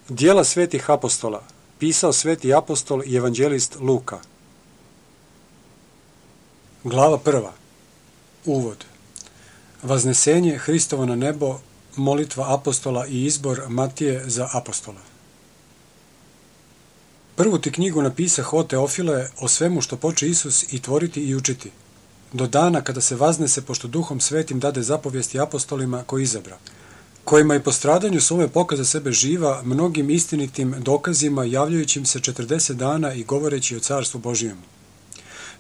Djela svetih apostola. Pisao sveti apostol i evanđelist Luka. Glava 1. Uvod. Vaznesenje Hristovo na nebo, molitva apostola i izbor Matije za apostola. Prvu ti knjigu napisah, o Teofile, o svemu što poče Isus i tvoriti i učiti, do dana kada se vaznese, pošto Duhom Svetim dade zapovijesti apostolima koji izabra, kojima i po stradanju svome pokaza sebe živa mnogim istinitim dokazima, javljajućim se 40 dana i govoreći o carstvu Božijemu.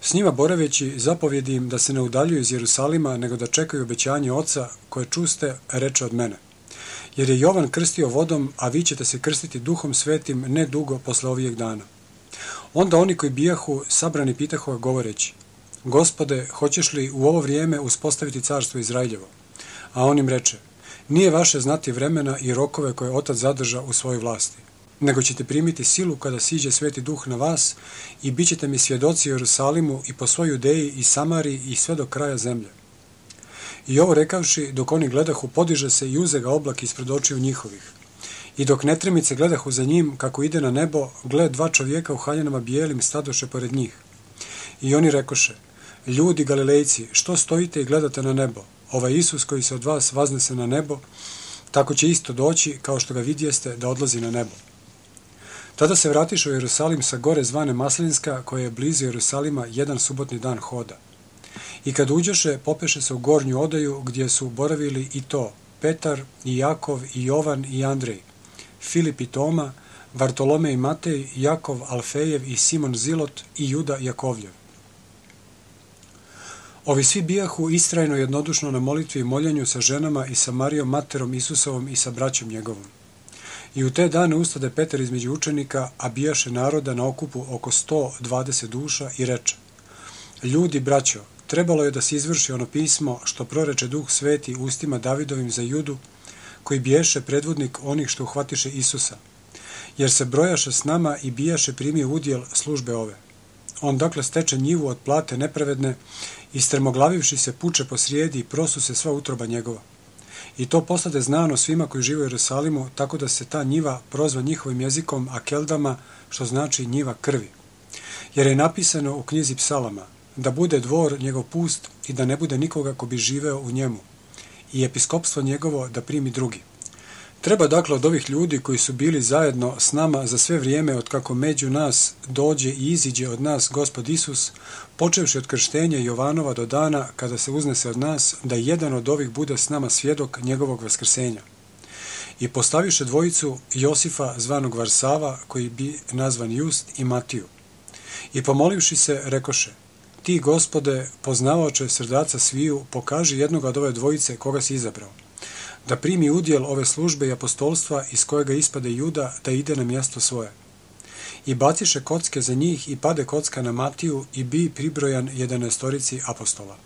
S njima boraveći, zapovjedi im da se ne udaljuju iz Jerusalima, nego da čekaju obećanje Oca, koje čuste, reče od mene. Jer je Jovan krstio vodom, a vi ćete se krstiti Duhom Svetim ne dugo posle ovijeg dana. Onda oni koji bijahu sabrani pitahu govoreći: Gospode, hoćeš li u ovo vrijeme uspostaviti carstvo Izraeljevo? A on im reče: Nije vaše znati vremena i rokove koje Otac zadrža u svojoj vlasti, nego ćete primiti silu kada siđe Sveti Duh na vas i bit ćete mi svjedoci u Jerusalimu i po svoj Judeji i Samariji i sve do kraja zemlje. I ovo rekavši, dok oni gledahu, podiže se i uze ga oblak ispred očiju njihovih. I dok netremice gledahu za njim, kako ide na nebo, gled dva čovjeka u haljenama bijelim stadoše pored njih. I oni rekoše: Ljudi Galilejci, što stojite i gledate na nebo? Ovaj Isus koji se od vas vaznese na nebo, tako će isto doći, kao što ga vidjeste, da odlazi na nebo. Tada se vratiše u Jerusalim sa gore zvane Maslinska, koja je blizu Jerusalima jedan subotni dan hoda. I kad uđoše, popeše se u gornju odaju, gdje su boravili i to Petar i Jakov i Jovan i Andrej, Filip i Toma, Vartolomej i Matej, Jakov Alfejev i Simon Zilot i Juda Jakovljev. Ovi svi bijahu istrajno jednodušno na molitvi i moljenju sa ženama i sa Marijom materom Isusovom i sa braćom njegovom. I u te dane ustade Petar između učenika, a bijaše naroda na okupu oko 120 duša i reče: Ljudi, braćo, trebalo je da se izvrši ono pismo što proreče Duh Sveti ustima Davidovim za Judu, koji biješe predvodnik onih što uhvatiše Isusa, jer se brojaše s nama i bijaše primio udjel službe ove. On dakle steče njivu od plate nepravedne i strmoglavivši se puče po srijedi i prosu se sva utroba njegova. I to postade znano svima koji žive u Jerusalimu, tako da se ta njiva prozva njihovim jezikom Akeldama, što znači njiva krvi. Jer je napisano u knjizi Psalama: da bude dvor njegov pust i da ne bude nikoga ko bi živeo u njemu, i episkopstvo njegovo da primi drugi. Treba dakle od ovih ljudi koji su bili zajedno s nama za sve vrijeme od kako među nas dođe i iziđe od nas Gospod Isus, počevši od krštenja Jovanova do dana kada se uznese od nas, da jedan od ovih bude s nama svjedok njegovog vaskrsenja. I postaviše dvojicu Josifa zvanog Varsava, koji bi nazvan Just, i Matiju. I pomolivši se, rekoše: Ti, Gospode, poznavaoče srdaca sviju, pokaži jednoga od ove dvojice koga si izabrao, da primi udjel ove službe i apostolstva iz kojega ispade Juda, da ide na mjesto svoje. I baciše kocke za njih i pade kocka na Matiju i bi pribrojan 11 apostola.